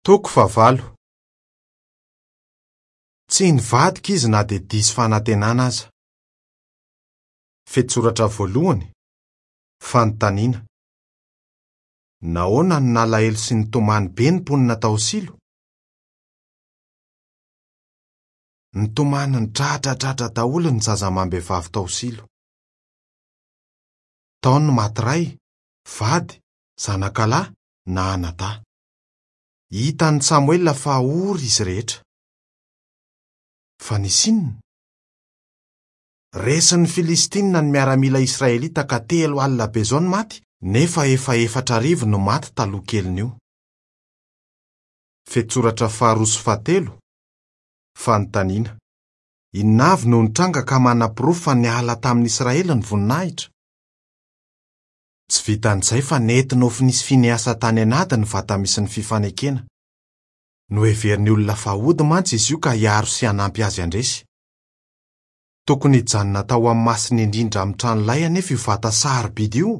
Toko fahavalo. Tsy nivadika izy na dia diso fanantenana aza. Fehintsoratra voalohany, Fanontaniana. Nahoana no nalahelo sy nitomany be ny mponina tao Silo? Nitomany nidradradradra daholo ny zaza amam-behivavy tao Silo. Tao ny maty ray, vady, zanakalahy na anadahy. Hitan'i Samoela fa ory izy rehetra. Fa nisy inona? Resin'ny Filistinina ny miaramila israelita ka 30 be izao ny maty, nefa efa 4000 no maty taloha kelin'io. Fehintsoratra faharoa sy fahatelo, Fanontaniana, Inona avy no nitranga ka manaporofo fa niala tamin'ny Israely ny voninahitra? Tsy vitan'izay fa nentin'i Hofnia sy Finehasa tany an'ady ny vata misy ny fifanekena. Noheverin'ny olona fa hody mantsy izy io ka hiaro sy hanampy azy handresy. Tokony hijanona tao amin'ny Masina Indrindra amin'ny tranolay anefa io vata sarobidy io,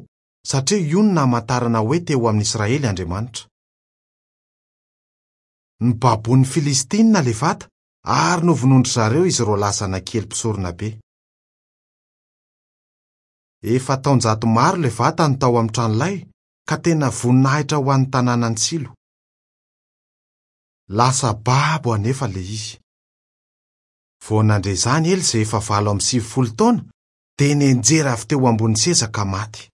satria io no namantarana hoe teo amin'ny Israely Andriamanitra. Nobaboin'ny Filistinina ilay vata ary novonoin-dry zareo izy roalahy zanak'i Ely mpisoronabe. Efa taonjato maro ilay vata no tao amin'ny tranolay, ka tena voninahitra ho an'ny tanànan'i Silo. Lasa babo anefa ilay izy. Vao nandre izany Ely izay efa 98 taona, dia nianjera avy teo ambony seza ka maty.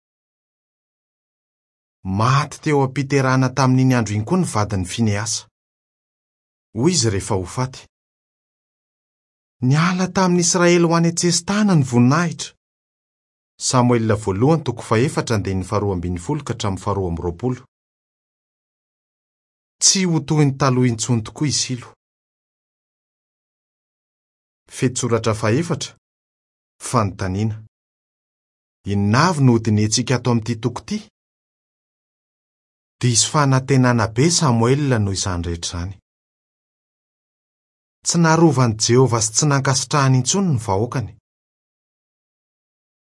Maty teo am-piterahana tamin'iny andro iny koa ny vadin'i Finehasa. Hoy izy rehefa ho faty, Niala tamin'i Israely ho any an-tsesitany ny voninahitra. Samoela voalohany toko fahefatra andininy faharoa ambin'ny folo ka hatramin'ny faharoa amby roapolo. Tsy ho toy ny taloha intsony tokoa i Silo. Fehintsoratra fahefatra, Fanontaniana. Inona avy no hodinihintsika ato amin'ity toko ity? Diso fanantenana be Samoela noho izany rehetra izany. Tsy narovan'i Jehovah sy tsy nankasitrahany intsony ny vahoakany.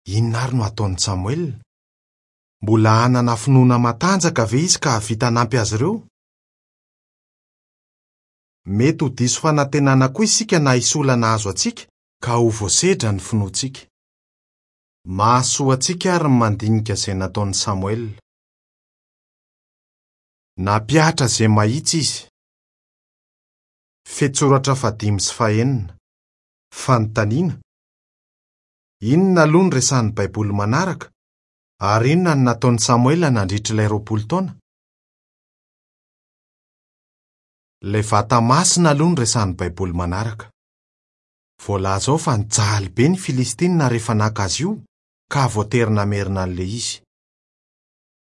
Inona àry no hataon'i Samoela? Mbola hanana finoana matanjaka ve izy ka hahavita hanampy azy ireo? Mety ho diso fanantenana koa isika na hisy olana hahazo antsika ka ho voasedra ny finoantsika. Mahasoa antsika àry ny mandinika izay nataon'i Samoela. Nampihatra izay mahitsy izy. Fehintsoratra fahadimy sy fahenina. Fanontaniana, Inona aloha no resahin'ny Baiboly manaraka, ary inona no nataon'i Samoela nandritra ilay 20 taona? Ilay vata masina aloha no resahin'ny Baiboly manaraka. Voalaza ao fa nijaly be ny Filistinina rehefa naka azy io, ka voatery namerina an'ilay izy.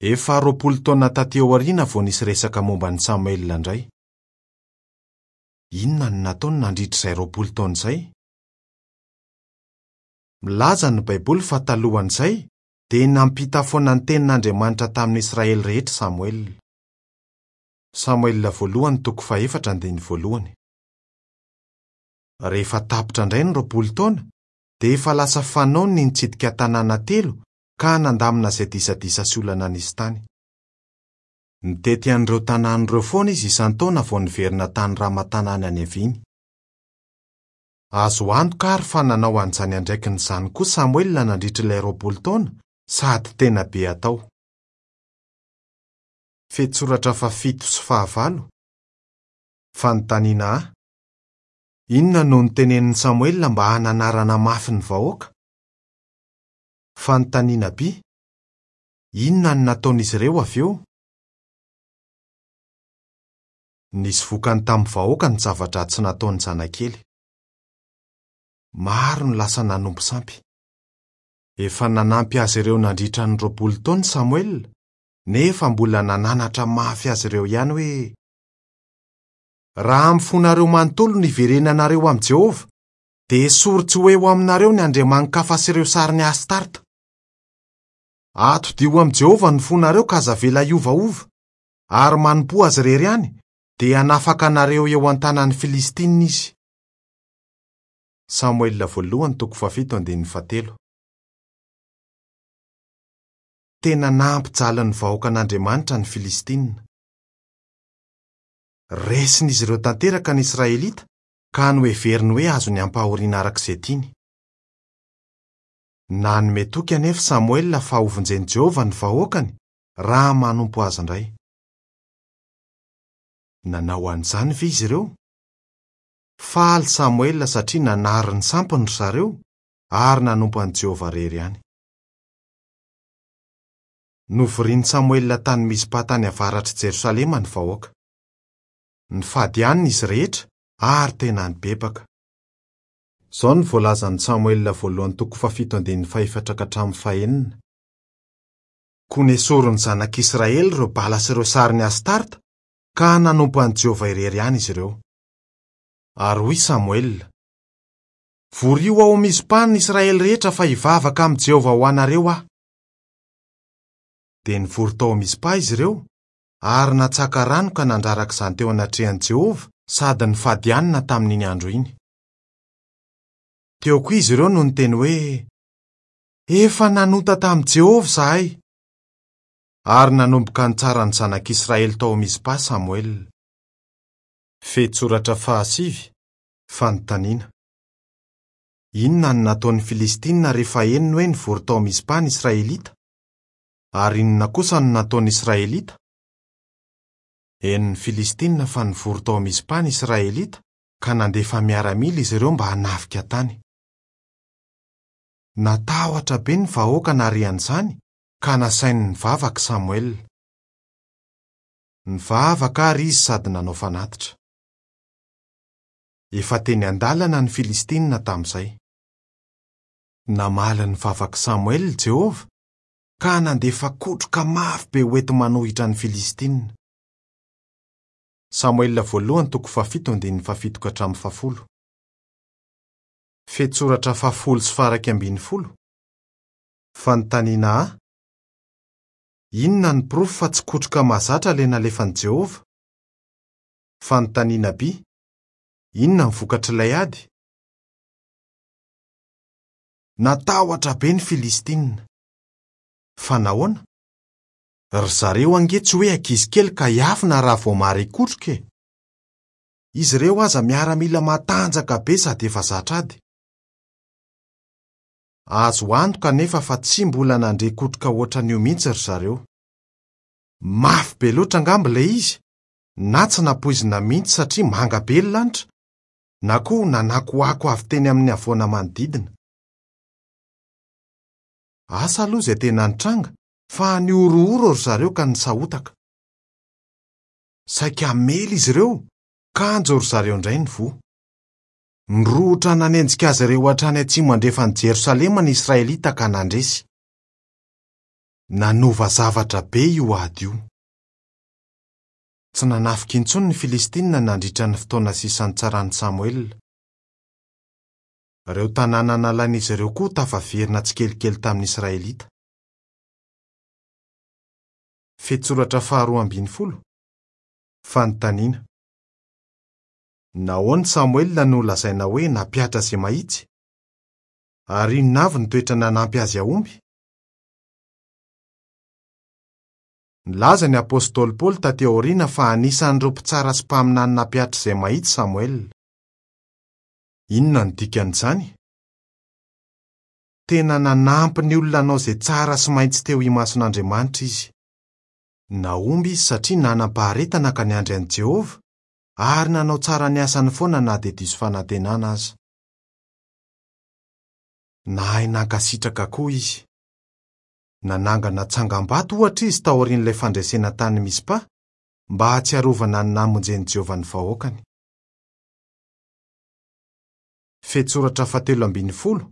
Efa 20 taona tatỳ aoriana vao nisy resaka momba an'i Samoela indray. Inona no nataony nandritra izay 20 taona izay? Milaza ny Baiboly fa talohan'izay, dia nampita foana ny tenin'Andriamanitra tamin'ny Israely rehetra Samoela. Samoela voalohany toko fahefatra andininy voalohany. Rehefa tapitra indray ny 20 taona, dia efa lasa fanaony ny nitsidika tanàna telo ka nandamina izay disadisa sy olana nisy tany. Nitety an'ireo tanàna ireo foana izy isan-taona vao niverina tany Rama tanàna niaviany. Azo antoka àry fa nanao an'izany andraikiny izany koa Samoela nandritra ilay 20 taona, sady tena be atao. Fehintsoratra fahafito sy fahavalo. Fanontaniana A. Inona no notenenin'i Samoela mba hananarana mafy ny vahoaka? Fanontaniana B. Inona no nataon'izy ireo avy eo? Nisy vokany tamin'ny vahoaka ny zava-dratsy nataon'ny zanak'i Ely. Maro no lasa nanompo sampy. Efa nanampy azy ireo nandritra ny 20 taona i Samoela, nefa mbola nananatra mafy azy ireo ihany hoe, Raha amin'ny fonareo manontolo no hiverenanareo amin'i Jehovah, dia esory tsy ho eo aminareo ny andriamani-kafa sy ireo sarin'i Astarta. Atodiho amin'i Jehovah ny fonareo ka aza avela hiovaova, ary manompoa azy irery ihany, dia hanafaka anareo eo an-tanan'ny Filistinina izy. Samoela voalohany toko fahafito andininy fahatelo. Tena nampijaly ny vahoakan'Andriamanitra ny Filistinina. Resin'izy ireo tanteraka ny Israelita, ka noheveriny hoe azony ampahoriana araka izay tiany. Nanome toky anefa Samoela fa hovonjen'i Jehovah ny vahoakany raha manompo azy indray. Nanao an'izany ve izy ireo? Faly Samoela satria nanary ny sampiny ry zareo ary nanompo an'i Jehovah irery ihany. Novorian'i Samoela tany Mizpa tany avaratr'i Jerosalema ny vahoaka. Nifady hanina izy rehetra ary tena nibebaka. Izao no voalazan'i Samoela voalohany toko fahafito andininy fahefatra ka hatramin'ny fahenina. Koa nesorin'ny zanak'Israely ireo Bala sy ireo sarin'i Astarta, ka nanompo an'i Jehovah irery ihany izy ireo. Ary hoy Samoela, Vorio ao Mizpa ny Israely rehetra fa hivavaka amin'i Jehovah ho anareo aho. Dia nivory tao Mizpa izy ireo, ary natsaka rano ka nandraraka izany teo anatrehan'i Jehovah sady nifady hanina tamin'iny andro iny. Teo koa izy ireo no niteny hoe, Efa nanota tamin'i Jehovah izahay! Ary nanomboka nitsara ny zanak'Israely tao Mizpa Samoela. Fehintsoratra fahasivy, Fanontaniana. Inona no nataon'ny Filistinina rehefa henony hoe nivory tao Mizpa ny Israelita? Ary inona kosa no nataon'ny Israelita? Henon'ny Filistinina fa nivory tao Mizpa ny Israelita, ka nandefa miaramila izy ireo mba hanafika tany. Natahotra be ny vahoaka nahare an'izany, ka nasainy nivavaka i Samoela. Nivavaka àry izy sady nanao fanatitra. Efa teny an-dalana ny Filistinina tamin'izay. Namaly ny vavak'i Samoela i Jehovah, ka nandefa kotroka mafy be hoenti-manohitra ny Filistinina. Samoela voalohany toko fahafito andininy fahafito ka hatramin'ny fahafolo. Fehintsoratra fahafolo sy faharaika ambin'ny folo. Fanontaniana A, Inona no porofo fa tsy kotroka mahazatra ilay nalefan'i Jehovah? Fanontaniana B, Inona ny vokatr'ilay ady? Natahotra be ny Filistinina. Fa nahoana? Ry zareo ange tsy hoe ankizy kely ka hiafina raha vao mahare kotroka e! Izy ireo aza miaramila matanjaka be sady efa zatra ady. Azo antoka anefa fa tsy mbola nandre kotroka hoatran'io mihitsy ry zareo. Mafy be loatra angamba ilay izy, na tsy nampoizina mihitsy satria manga be ny lanitra, na koa nanakoako avy teny amin'ny havoana manodidina. Asa aloha izay tena nitranga fa nihorohoro ry zareo ka nisahotaka. Saika hamely izy ireo, kanjo ry zareo indray no voa. Nirohotra nanenjika azy ireo hatrany atsimo andrefan'i Jerosalema ny Israelita ka nandresy. Nanova zavatra be io ady io. Tsy nanafika intsony ny Filistinina nandritra ny fotoana sisa nitsaran'i Samoela. Ireo tanàna nalain'izy ireo koa tafaverina tsikelikely tamin'ny Israelita. Fehintsoratra faharoa ambin'ny folo, Fanontaniana. Nahoana Samoela no lazaina hoe nampihatra izay mahitsy? Ary inona avy ny toetra nanampy azy hahomby? Nilaza ny apostoly Paoly tatỳ aoriana fa anisan'ireo mpitsara sy mpaminany nampihatra izay mahitsy Samoela. Inona no dikan'izany? Tena nanampy ny olona hanao izay tsara sy mahitsy teo imason'Andriamanitra izy. Nahomby izy satria nanam-paharetana ka niandry an'i Jehovah, ary nanao tsara ny asany foana na dia diso fanantenana aza. Nahay nankasitraka koa izy. Nanangana tsangambato, ohatra, izy taorian'ilay fandresena tany Mizpa, mba hahatsiarovana ny namonjen'i Jehovah ny vahoakany. Fehintsoratra fahatelo ambin'ny folo,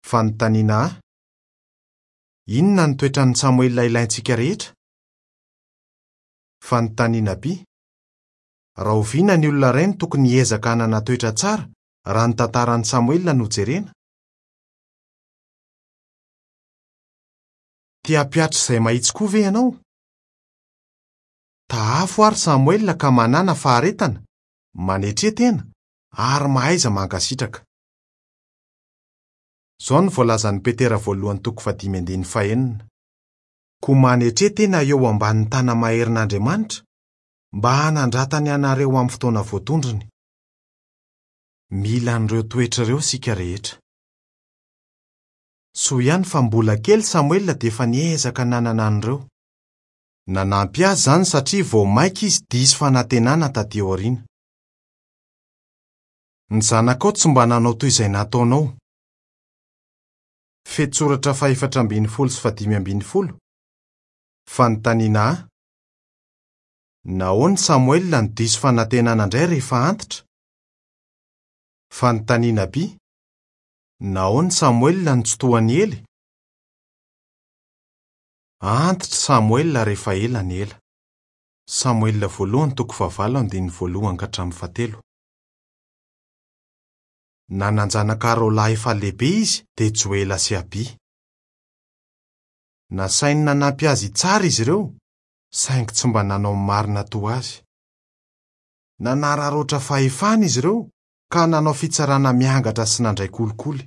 Fanontaniana A, Inona ny toetran'i Samoela ilaintsika rehetra? Fanontaniana B, Rahoviana ny olona iray no tokony hiezaka hanana toetra tsara raha ny tantaran'i Samoela no jerena? Te hampihatra izay mahitsy koa ve ianao? Tahafo àry Samoela ka manàna faharetana, manetre tena, ary mahaiza mankasitraka. Izao no voalazan'i Petera voalohany toko fahadimy andininy fahenina, Koa manetre tena eo ambanin'ny tana-maherin'Andriamanitra, mba hanandratany anareo amin'ny fotoana voatondrony. Mila an'ireo toetra ireo isika rehetra. Soa ihany fa mbola kely Samoela dia efa niezaka nanana an'ireo. Nanampy azy izany satria vao mainka izy diso fanantenana tatỳ aoriana. Ny zanakao tsy mba nanao toy izay nataonao. Fehintsoratra fahefatra ambin'ny folo sy fahadimy ambin'ny folo. Fanontaniana A. Nahoana Samoela no diso fanantenana indray rehefa antitra? Fanontaniana B. Nahoana Samoela no tsy toa an'i Ely? Antitra Samoela rehefa ela ny ela. Samoela voalohany toko fahavalo andininy voalohany ka hatramin'ny fahatelo. Nanan-janaka roa lahy efa lehibe izy dia Joela sy Abia. Nasainy nanampy azy hitsara izy ireo, saingy tsy mba nanao ny marina toa azy. Nanararaotra fahefana izy ireo ka nanao fitsarana miangatra sy nandray kolikoly.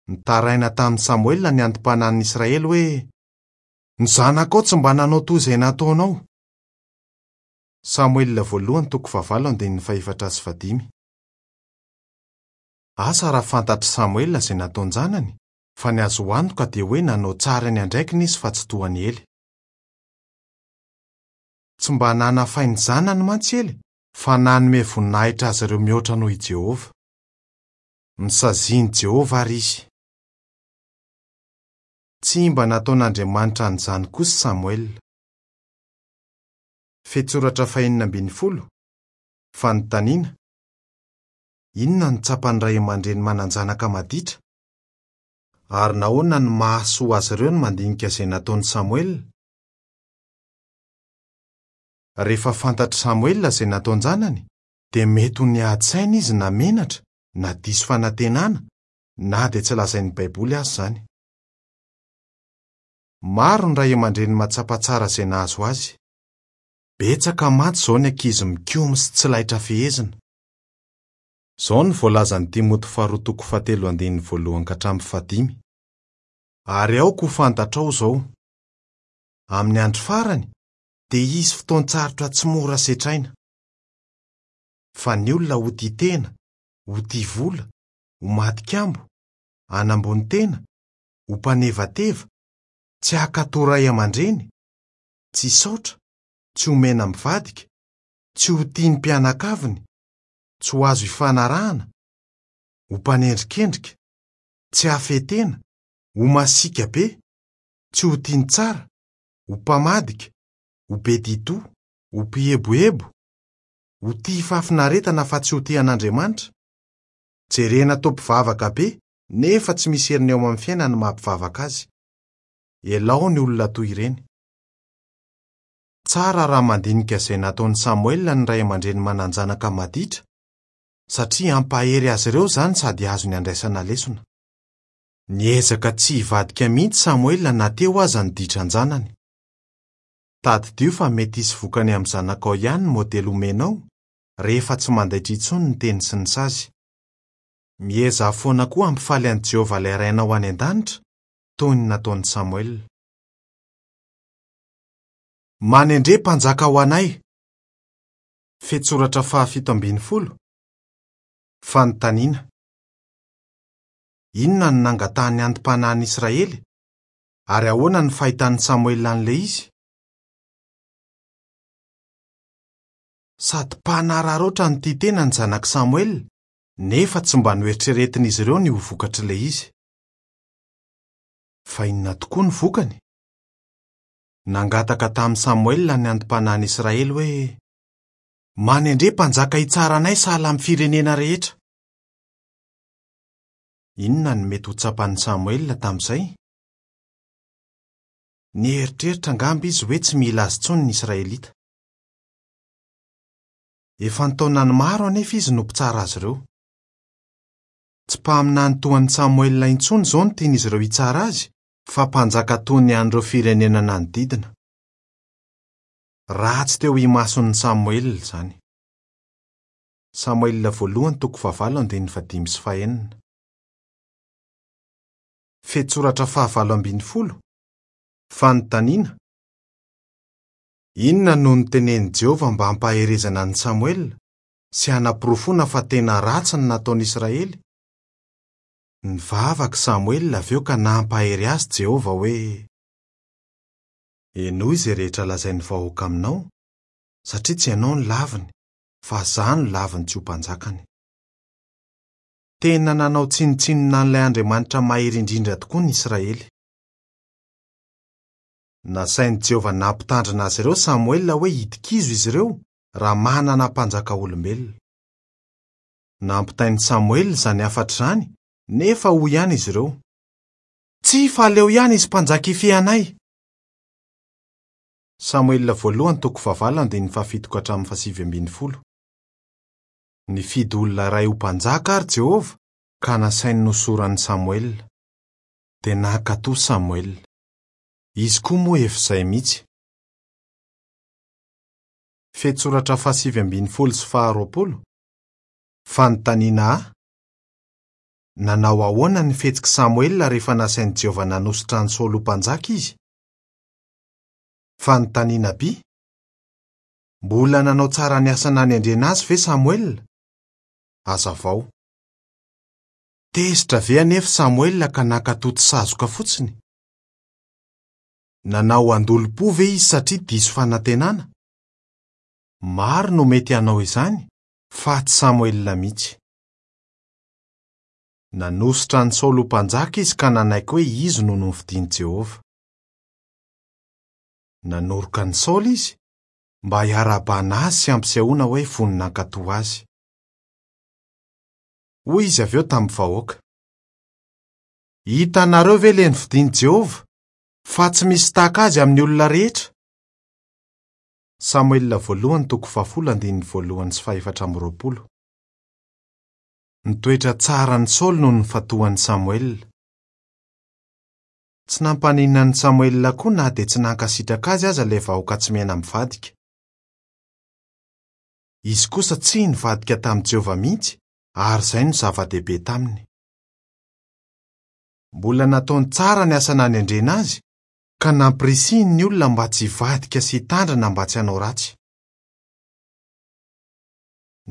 Nitaraina tamin'i Samoela ny anti-panahin'ny Israely hoe, Ny zanakao tsy mba nanao toy izay nataonao. Samoela voalohany toko fahavalo andininy fahefatra sy fahadimy. Asa raha fantatr'i Samoela izay nataon-janany, fa ny azo antoka dia hoe nanao tsara ny andraikiny izy fa tsy toa an'i Ely. Tsy mba nanafay ny zanany mantsy Ely, fa nanome voninahitra azy ireo mihoatra noho i Jehovah. Nosazian'i Jehovah àry izy. Tsy mba nataon'Andriamanitra an'izany kosa Samoela. Fehintsoratra fahenina ambin'ny folo, Fanontaniana, Inona no tsapan'ny ray aman-dreny manan-janaka maditra? Ary nahoana no mahasoa azy ireo ny mandinika izay nataon'i Samoela? Rehefa fantatr'i Samoela izay nataon-janany, dia mety ho niady saina izy na menatra, na diso fanantenana, na dia tsy lazain'ny Baiboly aza izany. Maro ny ray aman-dreny mahatsapa tsara izay nahazo azy. Betsaka mantsy izao ny ankizy mikomy sy tsy laitra fehezina. Izao no voalazan'i Timoty faharoa toko fahatelo andininy voalohany ka hatramin'ny fahadimy. Ary aoka ho fantatrao izao, Amin'ny andro farany dia hisy fotoan-tsarotra tsy mora setraina. Fa ny olona ho tia tena, ho tia vola, ho matin-kambo, hanambony tena, ho mpanevateva, tsy hankatò ray aman-dreny, tsy hisaotra, tsy ho mena-mivadika, tsy ho tia ny mpianakaviny, tsy ho azo ifanarahana, ho mpanendrikendrika, tsy hahafehy tena, ho masiaka be, tsy ho tia ny tsara, ho mpamadika, ho be di-doha, ho mpihebohebo, ho tia fahafinaretana fa tsy ho tia an'Andriamanitra. Jerena toa mpivavaka be nefa tsy misy heriny eo amin'ny fiainany ny maha mpivavaka azy. Elao ny olona toy ireny. Tsara raha mandinika izay nataon'i Samoela ny ray aman-dreny manan-janaka maditra, satria hampahery azy ireo izany sady azony andraisana lesona. Niezaka tsy hivadika mihitsy Samoela na teo aza ny ditran-janany. Tadidio fa mety hisy vokany amin'ny zanakao ihany ny modely omenao, rehefa tsy mandaitra intsony ny teny sy ny sazy. Miezaha foana koa hampifaly an'i Jehovah ilay Rainao any an-danitra, toy ny nataon'i Samoela. Manendre mpanjaka ho anay! Fehintsoratra fahafito ambin'ny folo, Fanontaniana, Inona no nangatahan'ny anti-panahin'ny Israely, ary ahoana no fahitan'i Samoela an'ilay izy? Sady mpanararaotra no tia tena ny zanak'i Samoela, nefa tsy mba noeritreretin'izy ireo ny ho vokatr'ilay izy. Fa inona tokoa ny vokany? Nangataka tamin'i Samoela ny anti-panahin'ny Israely hoe, Manendre mpanjaka hitsara anay sahala amin'ny firenena rehetra. Inona no mety ho tsapan'i Samoela tamin'izay? Nieritreritra angamba izy hoe tsy mila azy intsony ny Israelita. Efa an-taonany maro anefa izy no mpitsara azy ireo. Tsy mpaminany toa an'i Samoela intsony izao no tian'izy ireo hitsara azy, fa mpanjaka toy ny an'ireo firenena nanodidina. Ratsy teo imason'i Samoela izany. Samoela voalohany toko fahavalo andininy fahadimy sy fahenina. Fehintsoratra fahavalo ambin'ny folo, Fanontaniana. Inona no notenenin'i Jehovah mba hampaherezana an'i Samoela sy hanaporofoana fa tena ratsy ny nataon'Israely? Nivavaka i Samoela avy eo ka nampahery azy Jehovah hoe, Henoy izay rehetra lazain'ny vahoaka aminao, satria tsy ianao no laviny, fa izaho no laviny tsy ho mpanjakany. Tena nanao tsinontsinona an'ilay Andriamanitra Mahery Indrindra tokoa ny Israely. Nasain'i Jehovah nampitandrina azy ireo Samoela hoe hidi-kizo izy ireo raha manana mpanjaka olombelona. Nampitain'i Samoela izany hafatra izany, nefa hoy ihany izy ireo, Tsia, fa aleo ihany izy mpanjaka hifehy anay! Samoela voalohany toko fahavalo andininy fahafito ka hatramin'ny fahasivy ambin'ny folo. Nifidy olona iray ho mpanjaka àry Jehovah, ka nasainy nohosoran'i Samoela. Dia nankatò Samoela. Izy koa moa efa izay mihitsy. Fehintsoratra fahasivy ambin'ny folo sy faharoapolo, Fanontaniana A, Nanao ahoana ny fihetsik'i Samoela rehefa nasain'i Jehovah nanosotra an'i Saoly ho mpanjaka izy? Fanontaniana B, Mbola nanao tsara ny asa nanendrena azy ve Samoela? Hazavao. Tezitra ve anefa Samoela ka nankatò tsy sazoka fotsiny? Nanao an-dolompo ve izy satria diso fanantenana? Maro no mety hanao izany, fa tsy Samoela mihitsy. Nanosotra an'i Saoly ho mpanjaka izy ka nanaiky hoe izy no nofidin'i Jehovah. Nanoroka an'i Saoly izy, mba hiarahabana azy sy hampisehoana hoe vonona hankatò azy. Hoy izy avy eo tamin'ny vahoaka, Hitanareo ve ilay nofidin'i Jehovah, fa tsy misy tahaka azy amin'ny olona rehetra? Samoela voalohany toko fahafolo andininy voalohany sy fahefatra amby roapolo. Ny toetra tsaran'i Saoly no nifantohan'i Samoela. Tsy nampaninona an'i Samoela koa na dia tsy nankasitraka azy aza ilay vahoaka tsy miaina mivadika. Izy kosa tsy nivadika tamin'i Jehovah mihitsy ary izay no zava-dehibe taminy. Mbola nataony tsara ny asa nanendrena azy ka nampirisihiny ny olona mba tsy hivadika sy hitandrina mba tsy hanao ratsy.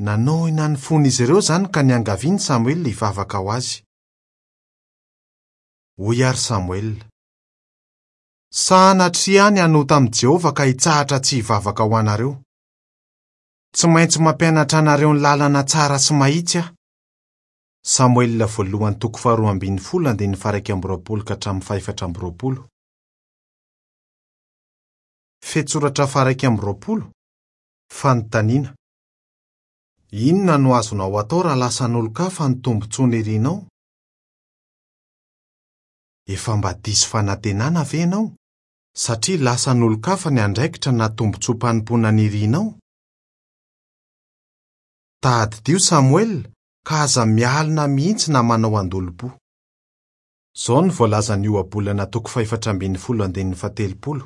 Nanohina ny fon'izy ireo izany ka niangaviany Samoela hivavaka ho azy. Hoy àry Samoela, Sanatria aho ny hanota amin'i Jehovah ka hitsahatra tsy hivavaka ho anareo. Tsy maintsy mampianatra anareo ny lalana tsara sy mahitsy aho. Samoela voalohany toko faharoa ambin'ny folo andininy faha-21 ka hatramin'ny faha-24. Fehintsoratra faha-21, Fanontaniana, Inona no azonao atao raha lasan'olon-kafa ny tombontsoa nirinao? Efa mba diso fanantenana ve ianao satria lasan'olon-kafa ny andraikitra na tombontsoam-panompoana nirinao? Tadidio Samoela ka aza mialona mihitsy na manao an-dolompo. Izao no voalazan'ny Ohabolana toko fahefatra ambin'ny folo andininy faha-telopolo,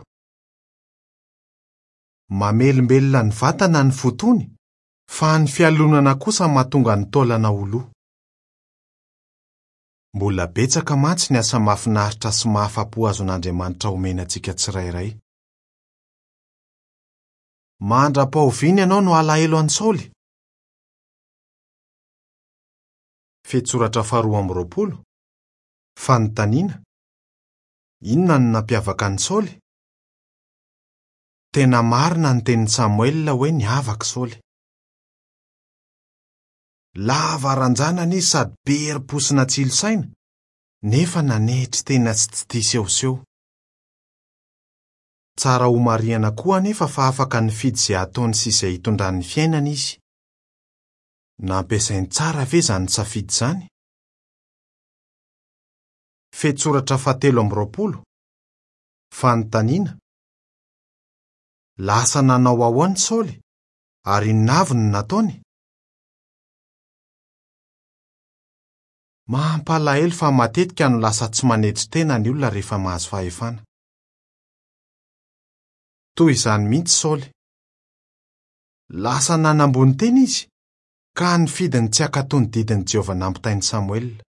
Mamelombelona ny vatana ny fo tony, fa ny fialonana kosa mahatonga ny taolana ho lo. Mbola betsaka mantsy ny asa mahafinaritra sy mahafa-po azon'Andriamanitra omena antsika tsirairay. Mandra-pahoviana ianao no halahelo an'i Saoly? Fehintsoratra faharoa amby roapolo, Fanontaniana, Inona no nampiavaka an'i Saoly? Tena marina ny tenin'i Samoela hoe niavaka i Saoly. Lava ranjanana izy sady be herim-po sy natsilo saina, nefa nanetry tena sy tsy tia sehoseho. Tsara homarihana koa anefa fa afaka nifidy izay hataony sy izay hitondrany ny fiainany izy. Nampiasainy tsara ve izany safidy izany? Fehintsoratra fahatelo amby roapolo, Fanontaniana, Lasa nanao ahoana i Saoly, ary inona avy no nataony? Mampalahelo fa matetika no lasa tsy manetry tena ny olona rehefa mahazo fahefana. Toy izany mihitsy Saoly. Lasa nanambony tena izy, ka nifidy ny tsy hankatò ny didin'i Jehovah nampitain'i Samoela.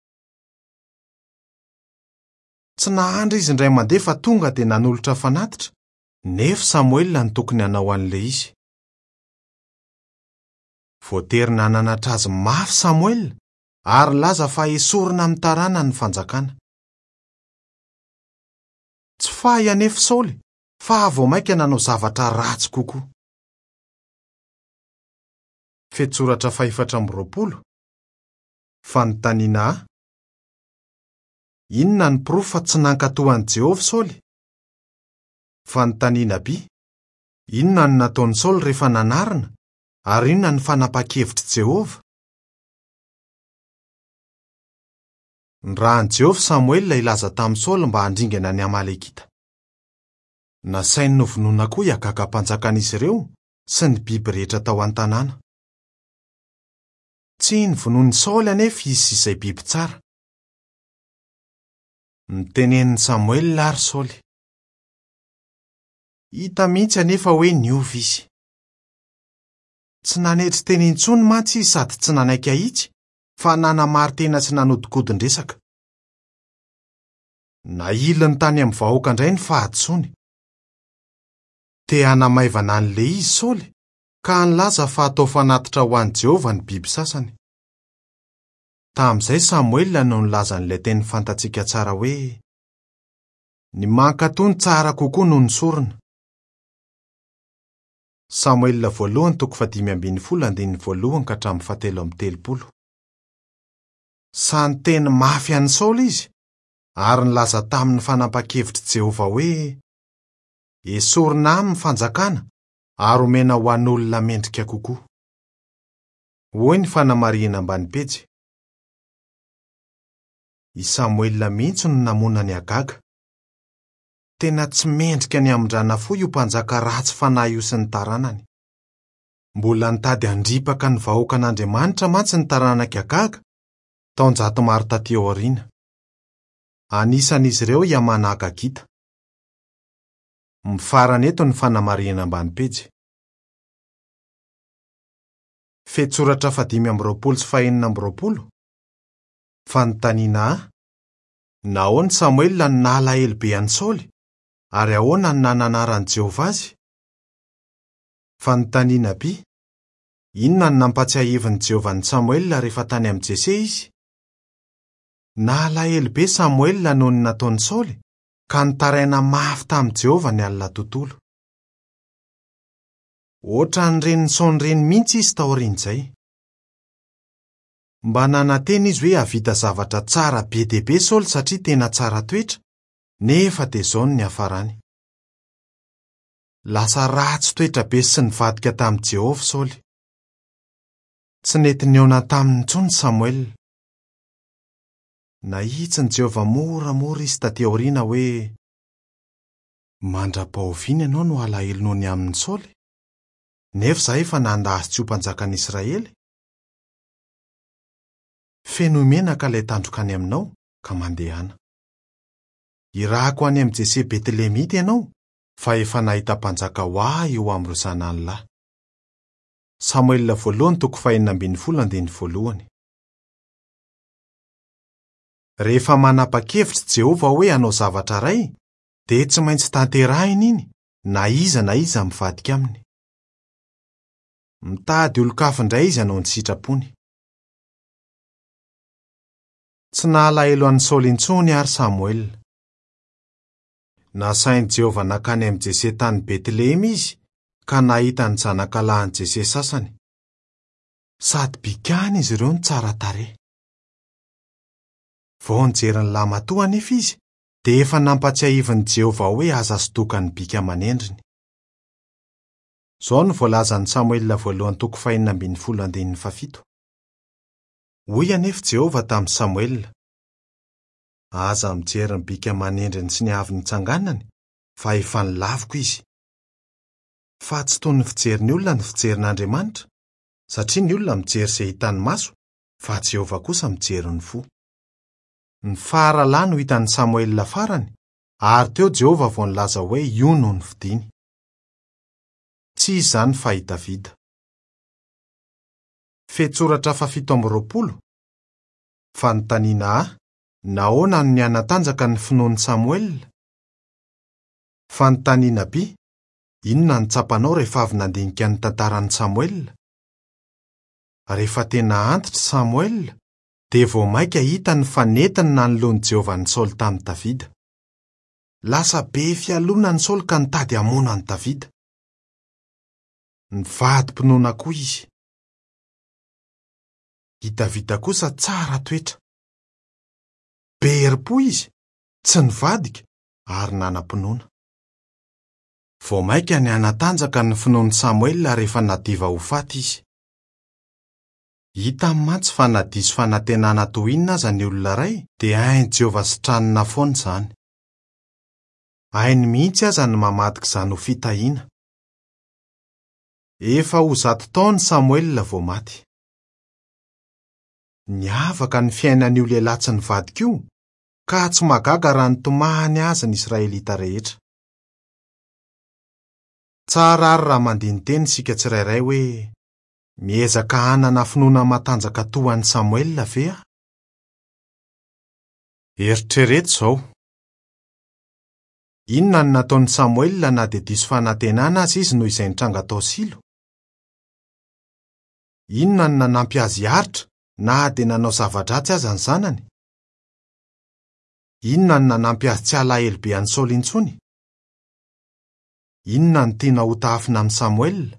Tsy nahandry izy indray mandeha fa tonga dia nanolotra fanatitra, Nefa Samoela no tokony hanao an'ilay izy. Voatery nananatra azy mafy Samoela ary nilaza fa hesorina amin'ny taranany ny fanjakana. Tsy fahy anefa Saoly fa vao mainka nanao zavatra ratsy kokoa. Fehintsoratra fahefatra amby roapolo. Fanontaniana A. Inona ny porofo fa tsy nankatò an'i Jehovah Saoly? Fanontaniana B. Inona no nataon'i Saoly rehefa nanarina, ary inona no fanapahan-kevitr'i Jehovah? Nirahin'i Jehovah Samoela hilaza tamin'i Saoly mba handringana ny Amalekita. Nasainy novonoina koa i Agaga mpanjakan'izy ireo sy ny biby rehetra tao an-tanàna. Tsy novonoin'i Saoly anefa izy sy izay biby tsara. Notenenin'i Samoela àry Saoly. Hita mihitsy anefa hoe niova izy. Tsy nanetry tena intsony mantsy izy sady tsy nanaiky hahitsy fa nanamari-tena sy nanodinkodin-dresaka. Nahiliny tany amin'ny vahoaka indray ny fahadisoany. Te hanamaivana an'ilay izy Saoly ka nilaza fa hatao fanatitra ho an'i Jehovah ny biby sasany. Tamin'izay Samoela no nilaza an'ilay teny fantatsika tsara hoe, Ny mankatò no tsara kokoa noho ny sorona. Samoela voalohany toko fahadimy ambin'ny folo andininy voalohany ka hatramin'ny fahatelo amby telopolo. Sahy niteny mafy an'i Saoly izy ary nilaza taminy ny fanapahan-kevitr'i Jehovah hoe, Esorina aminy ny fanjakana ary omena ho an'olona mendrika kokoa. Hoy ny fanamarihana ambany pejy. I Samoela mihitsy no namono an'i Agaga. Tena tsy mendrika ny hamindrana fo io mpanjaka ratsy fanahy io sy ny taranany. Mbola nitady handripaka ny vahoakan'Andriamanitra mantsy ny taranak'i Agaga, taonjato maro tatỳ aoriana. Anisan'izy ireo i Hamana Agagita. Mifarana eto ny fanamarihana ambany pejy. Fehintsoratra fahadimy amby roapolo sy fahenina amby roapolo. Fanontaniana A. Nahoana Samoela no nalahelo be an'i Saoly, ary ahoana no nananaran'i Jehovah azy? Fanontaniana B. Inona no nampahatsiahivin'i Jehovah an'i Samoela rehefa tany amin'i Jese izy? Nalahelo be Samoela noho ny nataon'i Saoly, ka nitaraina mafy tamin'i Jehovah ny alina tontolo. Hoatran'ireny nisaona ireny mihitsy izy taorian'izay. Mba nanantena izy hoe hahavita zavatra tsara be dia be Saoly satria tena tsara toetra, nefa dia izao no niafarany. Lasa ratsy toetra be sy nivadika tamin'i Jehovah Saoly. Tsy nety nihaona taminy intsony Samoela. Nahitsin'i Jehovah moramora izy tatỳ aoriana hoe, Mandra-pahoviana ianao no halahelo noho ny amin'i Saoly? Nefa izaho efa nanda azy tsy ho mpanjakan'i Israely. Fenoy menaka ilay tandroka any aminao, ka mandehana. Hirahako any amin'i Jese Betlehemita ianao, fa efa nahita mpanjaka ho ahy eo amin'ireo zanany lahy. Samoela voalohany toko fahenina ambin'ny folo andininy voalohany. Rehefa manapa-kevitra i Jehovah hoe hanao zavatra iray, dia tsy maintsy tanterahiny iny, na iza na iza mivadika aminy. Mitady olon-kafa indray izy hanao ny sitrapony. Tsy nahalahelo an'i Saoly intsony àry Samoela. Nasain'i Jehovah nankany amin'i Jese tany Betlehema izy, ka nahita ny zanakalahin'i Jese sasany. Sady bikàna izy ireo no tsara tarehy. Vao nijery ny lahimatoa anefa izy, dia efa nampahatsiahivin'i Jehovah hoe aza sodoka ny bika aman'endriny. Izao no voalazan'i Samoela voalohany toko fahenina ambin'ny folo andininy fahafito. Hoy anefa Jehovah tamin'i Samoela, Aza mijery ny bika aman'endriny sy ny avy nitsanganany, fa efa nolaviko izy. Fa tsy toy ny fijerin'ny olona ny fijerin'Andriamanitra, satria ny olona mijery izay hitan'ny maso, fa Jehovah kosa mijery ny fo. Ny faralahy no hitan'i Samoela farany, ary teo Jehovah vao nilaza hoe io no nofidiny. Tsy iza izany fa i Davida. Fehintsoratra fahafito amby roapolo, Fanontaniana A, Nahoana no nihanatanjaka ny finoan'i Samoela? Fanontaniana B, Inona no tsapanao rehefa avy nandinika ny tantaran'i Samoela? Rehefa tena antitra i Samoela, dia vao mainka hitany fa nety ny nanoloan'i Jehovah an'i Saoly tamin'i Davida. Lasa be fialonana i Saoly ka nitady hamono an'i Davida. Nivadi-pinoana koa izy. I Davida kosa tsara toetra. Be herim-po izy, tsy nivadika ary nanam-pinoana. Vao mainka nihanatanjaka ny finoan'i Samoela rehefa nadiva ho faty izy. Hitany mantsy fa na diso fanantenana toy inona aza ny olona iray, dia hain'i Jehovah sitranina foana izany. Hainy mihitsy aza ny mamadika izany ho fitahiana. Efa ho zato taona i Samoela vao maty. Niavaka ny fiainan'io lehilahy tsy nivadika io, ka tsy mahagaga raha nitomany azy ny Israelita rehetra. Tsara àry raha mandini-tena isika tsirairay hoe, 'Miezaka hanana finoana matanjaka toa an'i Samoela ve aho? Eritrereto izao, Inona no nataon'i Samoela na dia diso fanantenana aza izy noho izay nitranga tao Silo? Inona no nanampy azy hiaritra na dia nanao zava-dratsy aza ny zanany? Inona no nanampy azy tsy halahelo be an'i Saoly intsony? Inona no tianao hotahafina amin'i Samoela?